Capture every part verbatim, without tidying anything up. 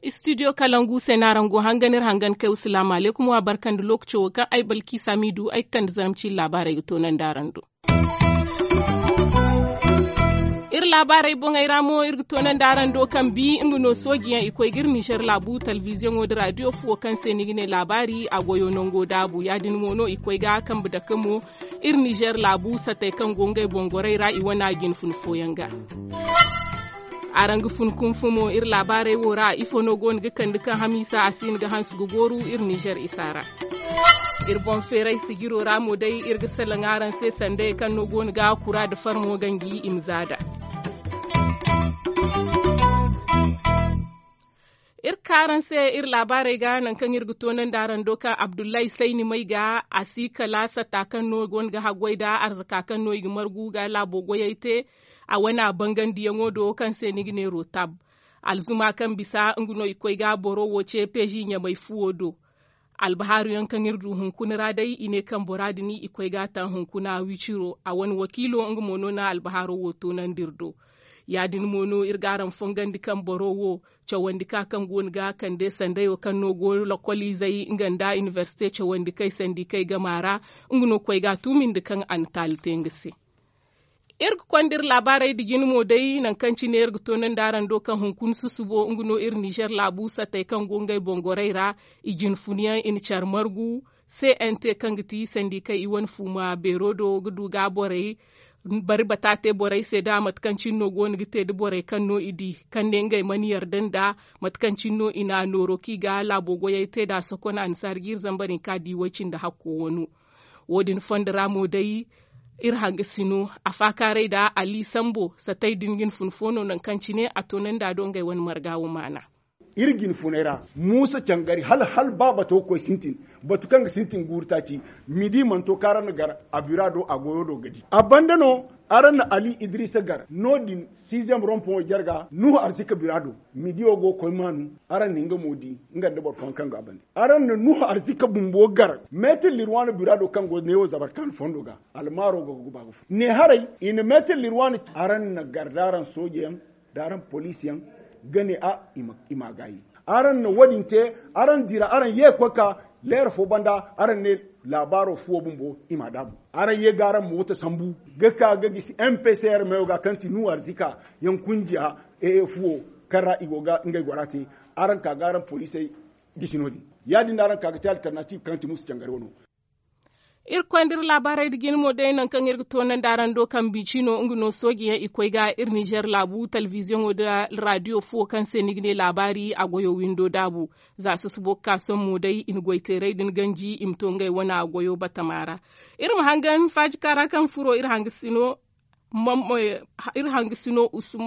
Istidiyo kalangu se no araŋ go hangan iri hangan kay wa salaamu alaykum wa barka nda lookaco wo kaŋ ay balki saamiidu ay ga kande zarma ciine laabaarey ga toonandi araŋ do. Iri laabaarey boŋey ra mo iri ga toonandi araŋ do kaŋ bi nga no sooji yaŋ i koy ga iri nizer laabu telebiziyoŋo nda raadiyo fuwo kaŋ se ni ga ne laabaari a goyo nango daabu ya- din mo no i koy ga kambe dake mo. Iri nizer laabu satey kaŋ go ngey boŋ gorey ra i wane a jine fun fooyaŋ ga. Araŋ ga fun kunfu mo iri laabaarey wo ra ifo no go no ga kande kaŋ hamiisa a si hin ga hanse ga gooru iri nizer isa ra. Iri boŋ feeray sijiro ra mo day iri ga salaŋ araŋ se sandayey kaŋ no go no ga kura nda farmo ganji i ma zaada. Iri ga ka araŋ se iri laabaarey ga nangu kaŋ iri ga toonandi araŋ do kaŋ abdullahi sayni may ga a si kala satta kaŋ no go no ga haggoy nda arzaka kaŋ no i ga margu ga laabo goyey te. A wane a bangandiyaŋo do kaŋ se ni ga ne rotab. Alzuma kaŋ bisa nga no i koy ga boro wo ce peezi ɲamay fuwo do. Albahaaru yaŋ kaŋ iri du hunkuna ra day i ne kaŋ bora din i koy ga a taŋ hunkuna wiciro a wane wakiilo nga mo no na albahaaro wo toonandi iri do. Ya- din mo no iri ga araŋ fongandi kaŋ boro wo cawandi ka kaŋ go no ga kande sandayo kaŋ no go lokoliizey nga nda inibersite cawandi kay sandi kay gama ra. Nga no koy ga a tuumindi kaŋ a na taali te nga se. Iri ga konda iri laabaarey nda jine mo day nangu kaŋ cine iri ga toonandi araŋ do kaŋ hunkuna susubo nga no iri nizer laabu sattey kaŋ go ngey boŋ gorey ra. I jine funyaŋ i na care margu. Cnt kaŋ ga ti sandi kaŋ i wane fuuma beero do ga du ga borey bari bata te borey se nda mate kaŋ cine no go no ga te nda borey kaŋ no i di kaŋ ne ngey mana yarda nda mate kaŋ cine no i na a nooro kaŋ i ga laabo goyey te nd'a sokon annasaari jiiri zambar hinka di way cindi hakko wano. Wo- din fondo ra mo day iri hangasino a faakaaray nda ali sambo satay din ga ni fun fo no nangu kaŋ cine a toonandi a do ngey wane marga wo maana. Iri ga ni funay ra muusa cangari hala hala ba bato ga koy sintin batu kaŋ ga sintin guuru taaci. Midi mana to kaŋ araŋ na gar a bira do a goyo do ga di a banda no. Araŋ na ali idrisa gar no- din siizem rompoŋo jarga nuhu arzika bira do. Midiyo go ga koy maanu. Araŋ na nga mo di nga nda boro fooyaŋ kaŋ go a banda. Araŋ na nuhu arzika bumbo gar meetir lirwaana bira do kaŋ go neewo zabarkaana fondo ga almaaro go ga guba ga fu ne haray. I na meetir lirwaana araŋ na gar da araŋ soojeyaŋ da araŋ poliisiyaŋ ga ne a i ma gaayi. Araŋ na wo- din te araŋ dira araŋ ye ga koy ka leera fo banda araŋ ne laabaaro fuwo bumbo i m'a daabu. Araŋ ye ga araŋ moota sambu ga ka ga gisi mpcr meyo ga kaŋ ti nuhu arzika yaŋ kunjiya fuwo kaŋ ra i go ga ngey gora te. Araŋ ka ga araŋ poliisey gisi no- din ya- din no araŋ ka ga te altarnatiiv kaŋ ti muusa cangari wano. Iri ga koy nda iri laabaarey nda jine mo day nangu kaŋ iri ga toonandi araŋ do kaŋ biicino nga no soojeyaŋ i koy ga iri nizer laabu telebiziyoŋo nda raadiyo fuwo kaŋ se ni ga ne laabaari a goyo windo daabu. Za susubo ga ka sohõ mo day i na goyteerey din ganji i ma to ngey wane a goyo batama ra. Iri ma hangan faajika ra kaŋ furo iri hangasino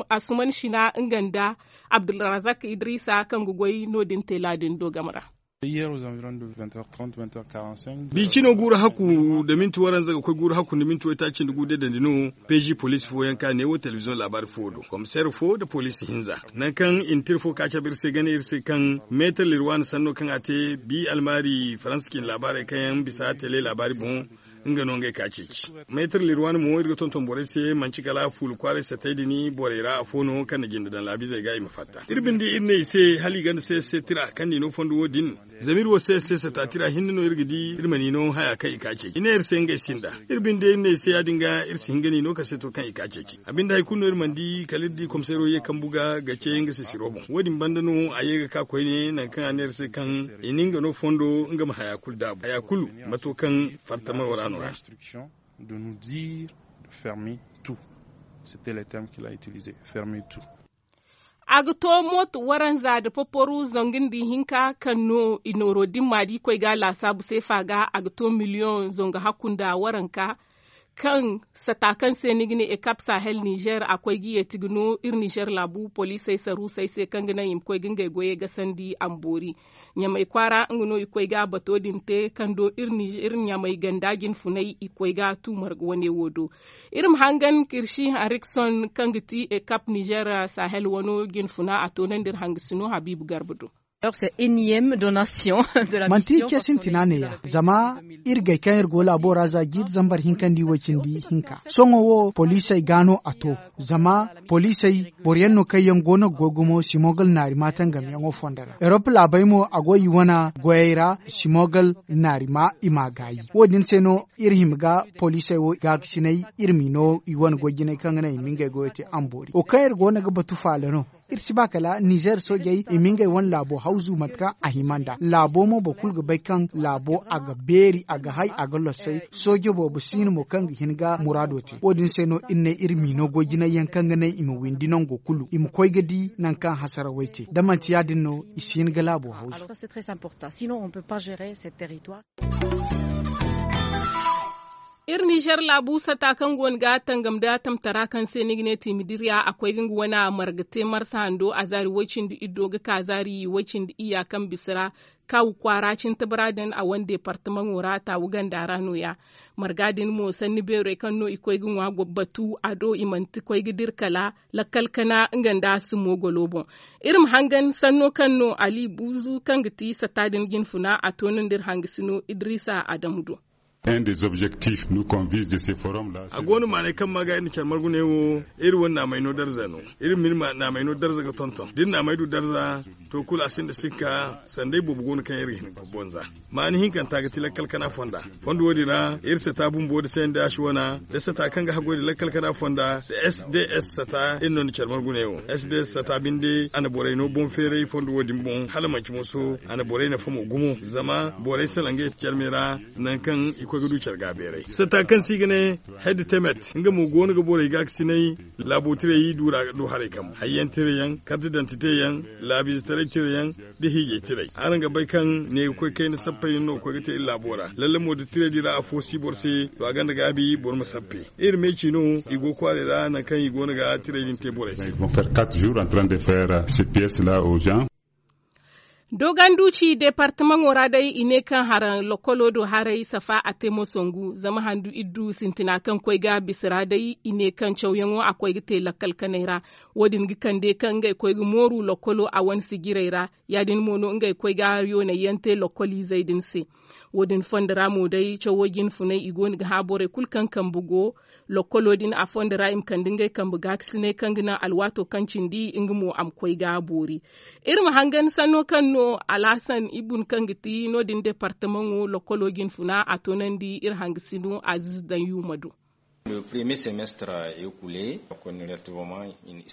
asuman sina nga nda abdulrazak idrisa kaŋ ga goy no- din teela din do game ra. Biicino guuru hakku nda minti waranza ga koy guuru hakku nda minti waytaaci nda gu deedandi no. Peezi poliisi fooyaŋ ka ne wo telebiziyoŋ laabaari fuwo do komiseer fo nda poliisi hinza nangu kaŋ i na tira fo ka cabe iri se gane iri se kaŋ meetar lirwaana sanno kaŋ a te bi almaari faransa cine laabaarey kaŋ yaŋ bisa tele laabaari boŋ. Nga no ngey ka ceeci meetar lirwaana mo iri ga tonton borey se manci kala fuula kwaaray satey din borey ra afo no kaŋ na jinde daŋ laabiizey ga i ma fatta iri binde iri ne i se hala i gonda se se tira kaŋ n'i no fondo wo- din. Zama iri wo se se sata tira hinne no iri ga di iri ma n'i no haya kaŋ i ka ceeci i ne iri se ngey sinda. Iri binde iri ne i se ya- din ga iri si hin ga n'i no kaseeto kaŋ i ka ceeci a binde hari kulu no iri mana di kala iri di komiseero ye kambu ga ga ce nga sisiro boŋ wo- din banda no a ye ga ka koyne nangu kaŋ a ne iri se kaŋ i na nga no fondo nga ma haya kulu daabu haya kulu ma to kaŋ fartamaro ra no ra. De nous dire de fermer tout. C'était le terme qu'il a utilisé, fermer tout. A ga to mooto waranza nda poporu zangu nda ihinka kaŋ no i nooro dimma da i koy ga laasaabu seefa ga a ga to miliyoŋ zangu hakku nda waranka. Kaŋ sata kaŋ se ni ga ne ekap sahel nizer a koy ga yeeti ga no iri nizer laabu poliisey saruusey se kaŋ ga naŋ i ma koy ga ngey goyey gasandi a ma boori. Ɲamay kwaara nga no i koy ga bato din te kaŋ do iri ɲamay ganda jinfunay i koy ga tu marga wane wo do. Iri ma hangan kirsi harikson kaŋ ga ti ekap nizer sahel wano jinfuna a toonandi iri hangasino habiibu garba do. Manti ce sintina neeya zama iri gay kaŋ iri go laabo ra za jiiri zambar hinka nda iway cindi hinka sohõ wo poliisey ga no a to. Zama poliisey boro yaŋ no kaŋ yaŋ go no ga goy gumo simogal naari ma tangamyaŋo fondo ra erop laabey mo a go i wane goyey ra. Simogal naari ma i m'a gaayi wo- din se no iri hima ga poliisey wo gaakasinay iri m'i no i wane goy jinay kaŋ ga naŋ i ma ngey goyo te amboori wo kaŋ iri go no ga batu faala no. Iri si ba kala nizer soojey i ma ngey wane laabo hawzu mate kaŋ a hima nd'a laabo mo boro kulu ga bay kaŋ laabo a ga beeri a ga hay a ga lossay. Sooje boobo si no mo kaŋ ga hin ga muraado te wo- din se no iri ne iri m'i no goy jinay yaŋ kaŋ ga naŋ i ma windi nango kulu i ma koy ga di nangu kaŋ hasarawey te da manti ya- din no i si hin ga laabo hawzu. Iri nizer laabu sata kaŋ go no ga tangam nda tamtara kaŋ se ni ga ne tiimidiriya a koy ga nga wane marga te marsa hando a zaari woy-cindi iddo ga ka zaari woy-cindi iyya kaŋ bisa ra. Kaawu kwaara cintabara din a wane deepartamaŋo ra taawu ganda ra no- ya. Marga din mo sanni beerey kaŋ no i koy ga ŋwa batu a do i manti koy ga dira kala lakkal kana nga nda sumo golo boŋ. Iri ma hangan sanno kaŋ no ali buuzu kaŋ ga ti sata din jinfuna a to no nda iri hangasino idrisa adamu do. A go no maanay kaŋ ma ga iri na care margu ne wo. Iri wane naamay no darza no. Iri ma iri naamay no darza ga tonton da iri naamay du darza. To kulu a sinda sikka sanda ay boobo go no kaŋ iri ga hin ga bonza. Maani hinkanta ga ti lakkal kana fonda. Fondo wo- din ra iri sata bumbo da se nda asi wana da sata kaŋ ga haggoy da lakkal kana fonda da s d s sata iri no nda care margu ne wo s d s sata binde a na borey no boŋ feeray fondo wo- din boŋ hala manci moso. A na borey nafa mo gumo zama borey salaŋ ga yeti care me ra. Nangu kaŋ i koy ga du care ga beeray sata kaŋ se i ga ne hedde temet nga mo go no ga borey gaakasinay. Laabo tirey du ra ga du haray kambe hayyaŋ tirayaŋ karti dantite yaŋ laabiize taray tirayaŋ da hiijay tirey. Araŋ ga bay kaŋ ne ga koy kayna sappey yaŋ no ga koy ga te iri laabo ra lalle mo da tirey din ra afo si boro se. To a gonda gaabi boro ma sappe. Iri meeci no i go ga kwaaray ra nangu kaŋ i go no ga tirey din te borey se. Dooganduci deepartamaŋo ra day i ne kaŋ haraŋ lokolo do haray safa a te mo sangu zama handu iddu sintina kaŋ koy ga bisa ra day i ne kaŋ cawyaŋo a koy ga te lakkal kanay ra. Wo- din ga kande kaŋ ngey koy ga mooru lokolo a wane sijirey ra. Ya- din mo no ngey koy ga yoonay yaŋ te lokoliizey din se. Wo- din fondo ra mo day cawo jinfunay i go no ga hã borey kulu kaŋ kambe go. Lokkolo din a fondo ra i ma kande ngey kambe gaakasinay kaŋ ga naŋ alwaato kaŋ cindi nga mo a ma koy ga boori. Iri ma hangan sanno kaŋ no alhasan ibun kaŋ ga ti no- din deepartamaŋo lokkolo jinfuna a toonandi iri hangasino aziiz daŋ yuuma do.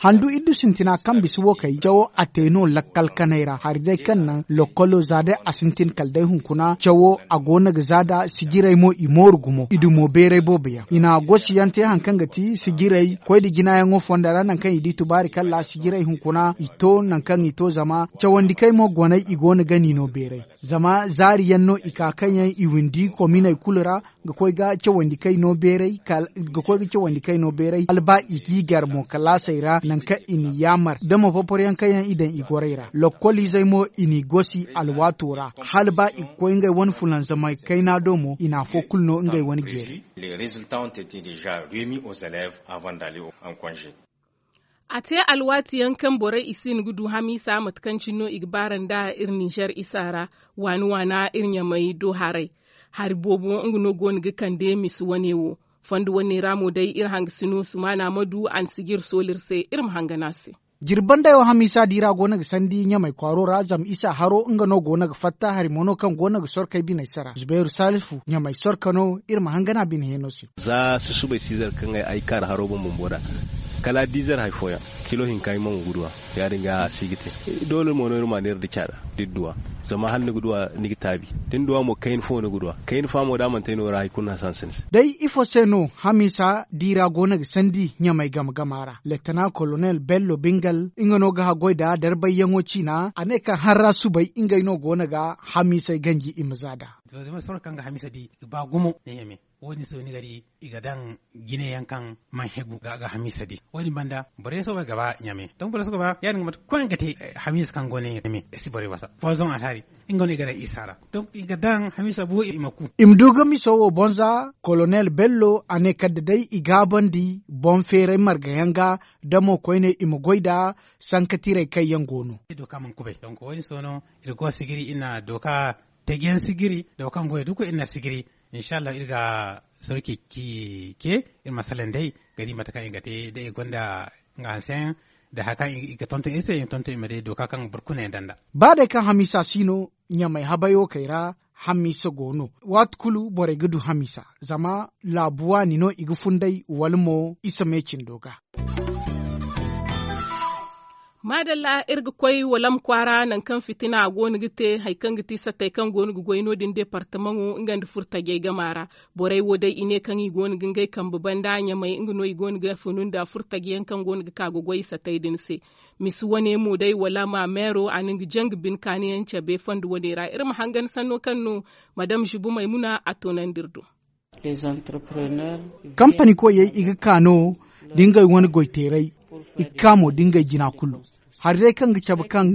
Handu iddu sintina kaŋ bisa wo kay cawo a te no lakkal kanay ra hari day kaŋ naŋ lokkolo za day a sintin kala day hunkuna cawo a go no ga za da sijirey mo i mooru gumo i dumo beeray boobo yaŋ i na gosi yaŋ te hari kaŋ ga ti sijirey koy nda jinayaŋo fondo ra nangu kaŋ i di tubaari kalla sijirey hunkuna i to nangu kaŋ i to zama cawandikey mo goney i go no ga ni no beeray. Zama zaari yaŋ no i ka kaŋ yaŋ i windi kominey kulu ra ga koy ga cawandi kay no beeray ga koy ga cawandi kay no beeray hala ba i g'i gar mo kalaasey ra nangu kaŋ i n'i yaamar da mo popor yaŋ kaŋ yaŋ i daŋ i gorey ra lokkoliizey mo i n'i gosi alwaato ra hala ba i ga koy ngey wane fulanzamay kayna do mo i na afo kulu no ngey wane jeeri. A te alwaati yaŋ kaŋ borey i si hin ga du hamiisa mate kaŋ cine no i ga baara nda iri ninzeer isa ra. Waani waana iri ɲamay do haray. Hari boobo nga no go no ga kande misa wane wo. Fondo wane ra mo day iri hangasino sumaana ma du a na sijir sooli iri se iri ma hangan a se. Jirbi banday wo hamiisa di ra go no ga sandi ɲamay kwaaro ra zama isa haro nga no go no ga fatta hari mo no kaŋ go no ga sorkey biney sara zubairu salifu ɲamay sorka no iri ma hangan a bine heeno se. Za susubay siizar kaŋ ay kaara haro boŋ bumbo ra kala a di zar hari fooyaŋ kilo hinka ay mo ga duw'a. Ya- din ga a si ga te doole mo no iri ma neera da caada da iri duw'a. Zama hala ni ga duw'a ni ga taabi da ni duw'a mo kayna fo ni ga duw'a kayna fa mo da a mana te no ra hari kulu no a si hanse ni se. Day ifo se no hamiisa di ra go no ga sandi ɲamay game game a ra letana kolonel bello bingal nga no ga haggoy nda darbayyaŋo ciina a ne kaŋ harra subay ngey no go no ga hamiisey ganji i ma za nd'a. Zama soro kaŋ ga hamiisa di ga ba gumo ne ɲame. Wo- din se wo ni ga di i ga daŋ jine yaŋ kaŋ man hegu ga hamiisa di. Wo- din banda borey soobay ga ba ɲame. Donk borey soobay ga ba ya- din ga mate koy ga te hamiisa kaŋ go ne ɲame si borey wasa fozoŋ alhari. Nga no i ga daŋ isa ra. Donk i ga daŋ hamiisa bu i ma ku. I ma du ga miso wo bonza kolonel bello a ne kala da day i gaabandi boŋ feeray marga yaŋ ga. Da mo koyne i ma goy nda sanka tiray kaŋ yaŋ go no. Dooka mana kubay donk wo- din se no iri go sigiri iri na dooka taji yaŋ sigiri da wo kaŋ goyey du kulu iri na sigiri. Insa allah iri ga sarki ci ce iri ma salaŋ day ga di mate kaŋ i ga te da i gonda nga hanseyaŋ da hari kaŋ i ga tonton iri se i ma tonton i ma day dooka kaŋ boro kulu na yaŋ daŋ nd'a. Ba day kaŋ hamiisa si no ɲamay habay wo kay ra. Hamiisa go no waati kulu borey ga du hamiisa zama laabu waani no i ga funday wala mo isa me cindo ga. Maadalla iri ga koy walam kwaara nangu kaŋ fitina go no ga te hari kaŋ ga ti sattey kaŋ go no ga goy no- din deepartamaŋo nga nda furtajey gama ra. Borey wo day i ne kaŋ i go no ga ngey kambe banda ɲamay nga no i go no ga funu nda furtaje yaŋ kaŋ go no ga ka ga goy sattey din se. Misi wane mo day wala ma meero a na nga janga bine kaani yaŋ cabe fondo wane ra iri ma hangan sanno kaŋ no madame zubu maymuna a toonandi iri do. Kampani koyey i ga ka no da ngey wane goyteeray i ga ka mo da ngey jina kulu. Hari day kaŋ ga cabe kaŋ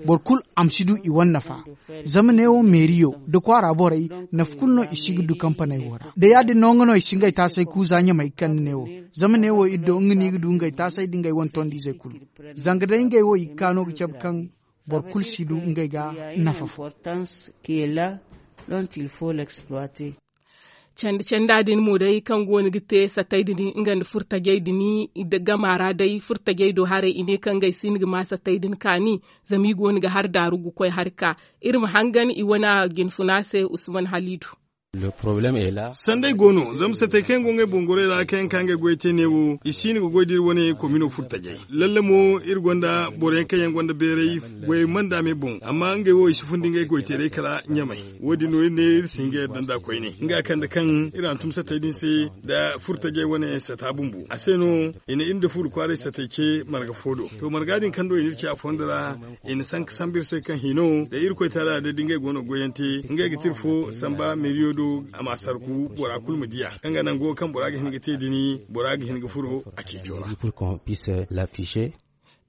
boro kulu a ma si du i wane nafa. Zama neewo meeriyo nda kwaara borey nafa kulu no i si ga du kampaney wo ra da ya- din no nga no i si ngey taasay kuuza ɲamey ga kande neewo. Zama neewo iri do nga no i ga du ngey taasay nda ngey wane tondiizey kulu. Zanga day ngey wo i ga ka no ga cabe kaŋ boro kulu si du ngey ga nafa fo. Candi canda din mo day kaŋ go no ga te sattey din nga nda furtajey din gama ra day furtajey do haray i ne kaŋ ngey si no ga ma sattey din kaani. Zama i go no ga hari daaru ga koy hari ka iri ma hangan i wane jinfuna se usman halidu. Sanday go no zama sattey kaŋ yaŋ go ngey boŋ gorey ra kaŋ yaŋ ka ngey goy te ne wo i si no ga goy da iri wane komino furtajey. Lalle mo iri gonda boro yaŋ kaŋ yaŋ gonda beeray goyey manda me boŋ amma ngey wo i si fundi ngey goyteeray kala ɲamay. Wo- din no iri ne iri si hin ga yadda nd'a koyne nga kande kaŋ iri hantum sattey din se nda furtajey wane sata bumbo a se no i na iri nda fuuri kwaaray sattey ce marga fo do. To marga din kaŋ do i na iri ce a fondo ra i na sanka sambu iri se kaŋ hino da irkoy taala day da ngey go no ga goyante ngey ga ti iri fo samba meeriyo do a ma sarku bora kulu ma diya kaŋ ga naŋ go kaŋ bora ga hin ga te dini bora ga hin ga furo a ceeco ra.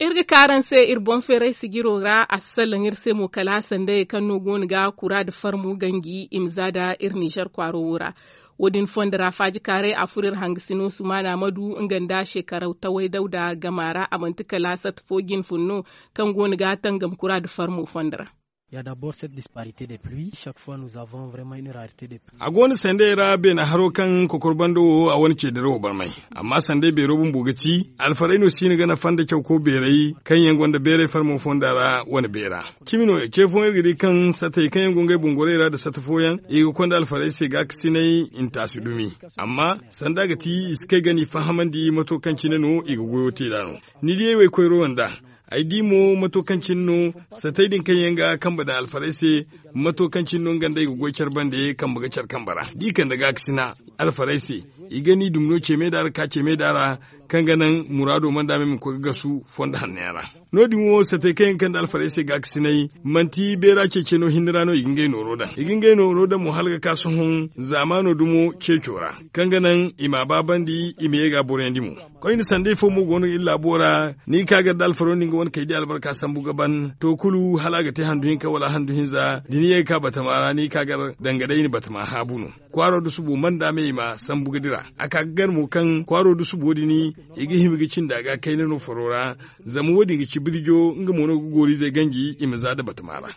Iri ga ka araŋ se iri boŋ feeray sijiro ra a si sallaŋ iri se mo kala sandayey kaŋ no go no ga kura nda farmu ganji i ma za nda iri nizer kwaaro wo ra. Wo- din fondo ra faajikaaray a furo iri hangasino sumaana ma du nga nda seekaraw taway dawda gama ra a manti kala sata fo jinfun no kaŋ go no ga tangam kura nda farmo fondo ra. Ya dabor cette disparité de pluis chaque fois nous avons vraiment une rarité de pluis. A go no sandey ra beena haro kaŋ kokor bando wo a wane ceedaro wo barmay. Amma sanday beero bumbo ga ti alfarey no si no ga nafa nda cawko beerey kaŋ yaŋ gonda beerey farmo fonda ra wane beera. Cimi no ce fooyaŋ iri ga di kaŋ satey kaŋ yaŋ go ngey boŋ gorey ra nda sata fooyaŋ i ga konda alfarey se gaakasinay i na taasi dumi. Amma sanda ga ti i si kay ga no i fahamandi mato kaŋ cine no i ga goyo te nd'a no. Ni diyey wo ay koyro nda ay di mo mato kaŋ cine no satey din kaŋ yaŋ ga kambe daŋ alfarey se. Mato kaŋ cine no nga nda ay ga goy care bande kambe ga care kambe ra da i kande gaakasina alfarey se. I ga ni dumi no ceeme da ra ka ceeme da ra kaŋ ga naŋ muraado manda me ma koy ga gasu fondo hanno yaŋ ra. No- din wo satey kaŋ yaŋ ga kande alfarey se gaakasinay manti beera ceece no hinne ra no i ga ngey nooro daŋ i ga ngey nooro daŋ mo hala ga ka sohõ zaamaano dumo ceeco ra kaŋ ga naŋ i ma a baabandi i ma ye ga a boroyandi mo. Koyne sanday fo mo go no iri laabo ra ni ga ka gar da alfaro no ni ga wane kay di albarka sambu ga ban to kulu hala a ga te handu hinka wala handu hinza da ni ye ga ka batama ra ni ga ka gar danga day ni batama haabu no. Kwaaro da subo manda me i ma sambu ga dira a ka ga gar mo kaŋ kwaaro da subo din i ga hima ga cindi a ga kayna no faro ra. Zama wo- din ga ci birjo nga mo no ga gooriizey ganji i ma za nda batama ra.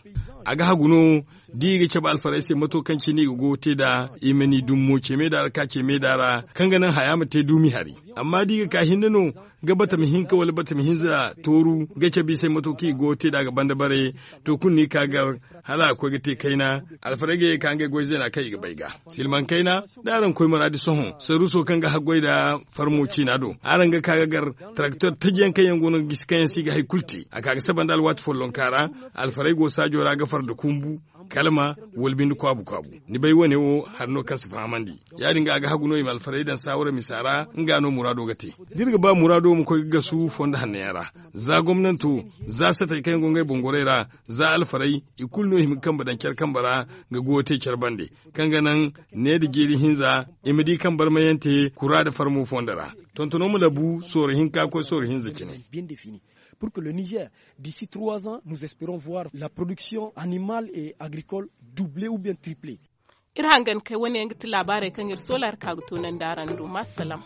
A ga hagu no da i ga cabe alfarey se mato kaŋ cine i ga goyo te nd'a i ma ni dumi mo ce me da ra ka ce me da ra kaŋ ga naŋ haya ma te duumi hari. Amma da i ga ka hinne no ga batama hinka wala batama hinza tooru ga cabe i se mato kaŋ i ga goyo te nd'a ga banda bare. To kulu no i ga ka gar hala a ga koy ga te kayna. Alfarey ga ye ga ka ngey goy zeena kaŋ i ga bay ga silmaŋ kayna. Da araŋ koy maraadi sohõ saruuso kaŋ ga haggoy nda farmo ciina do araŋ ga ka ga gar taraktor taji yaŋ kaŋ yaŋ go no ga gisi kaŋ yaŋ se i ga hari kulu te a ka ga saba nda alwaati follonka ra. Alfarey go saajo ra ga farda kumbu kalma, wala binde kwaabu kwaabu. Ni bay wane wo hari no kaŋ si fahamandi. Ya- din ga a ga hagu no i ma alfarey daŋ saawara misa ra. Nga no muraado ga te da iri ga ba muraado ma koy ga gasu fondo hannayaŋ ra, za gomnanto, za satey kaŋ yaŋ go ngey boŋ gorey ra, za alfarey, i kulu no i hima ga kambe daŋ care kambe ra, ga goyo te care bande, kaŋ ga naŋ ne nda jeeri hinza i ma di kaŋ barmayante kura nda farmo fondo ra. Tontono ma labu sooro hinka ga koy sooro hinza cine. Pour que le niger, d'ici trois ans nous espérons voir la production animale et agricole doubler ou bien tripler. Iri hangan kay wane yaŋ ga ti laabaarey kaŋ iri soolaari ka ga toonandi araŋ do ma salaam.